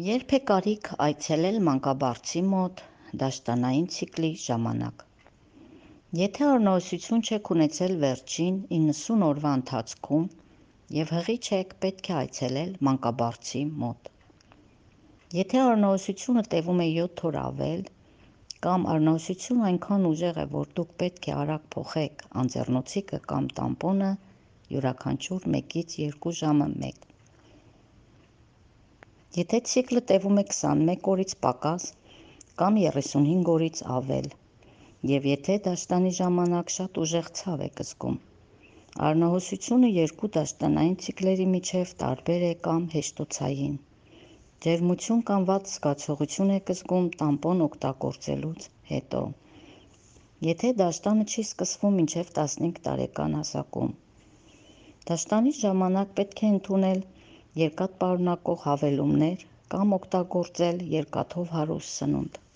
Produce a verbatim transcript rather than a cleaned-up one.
Երբ է կարիք այցելել մանկաբարձի մոտ դաշտանային ցիկլի ժամանակ։ Եթե առնվազն չեք ունեցել վերջին իննսուն օրվա ընթացքում և հղի չեք, պետք է այցելել մանկաբարձի մոտ։ Եթե առնվազնությունը տևում է յոթ օր ավել, կամ առնվազնությունը այնքան ուժեղ է, որ դուք պետք է արագ փոխեք անձեռնոցիկը կամ տամպոնը, յուրաքանչյուր մեկից երկու ժամը մեկ։ Եթե ցիկլը տևում է քսանմեկ օրից պակաս կամ երեսունհինգ օրից ավել, և եթե դաշտանի ժամանակ շատ ուժեղ ցավ եք զգում, առնվազնությունը երկու դաշտանային ցիկլերի միջև տարբեր է կամ հեշտոցային, ջերմություն կամ վատ զգացողություն եք զգում տամպոն օգտագործելուց հետո, եթե դաշտանը չի սկսվում մինչև տասնհինգ տարեկան հասակում, դաշտանի ժամանակ պետք է ընդունել երկաթ պարունակող հավելումներ կամ օգտագործել երկաթով հարուստ սնունդ։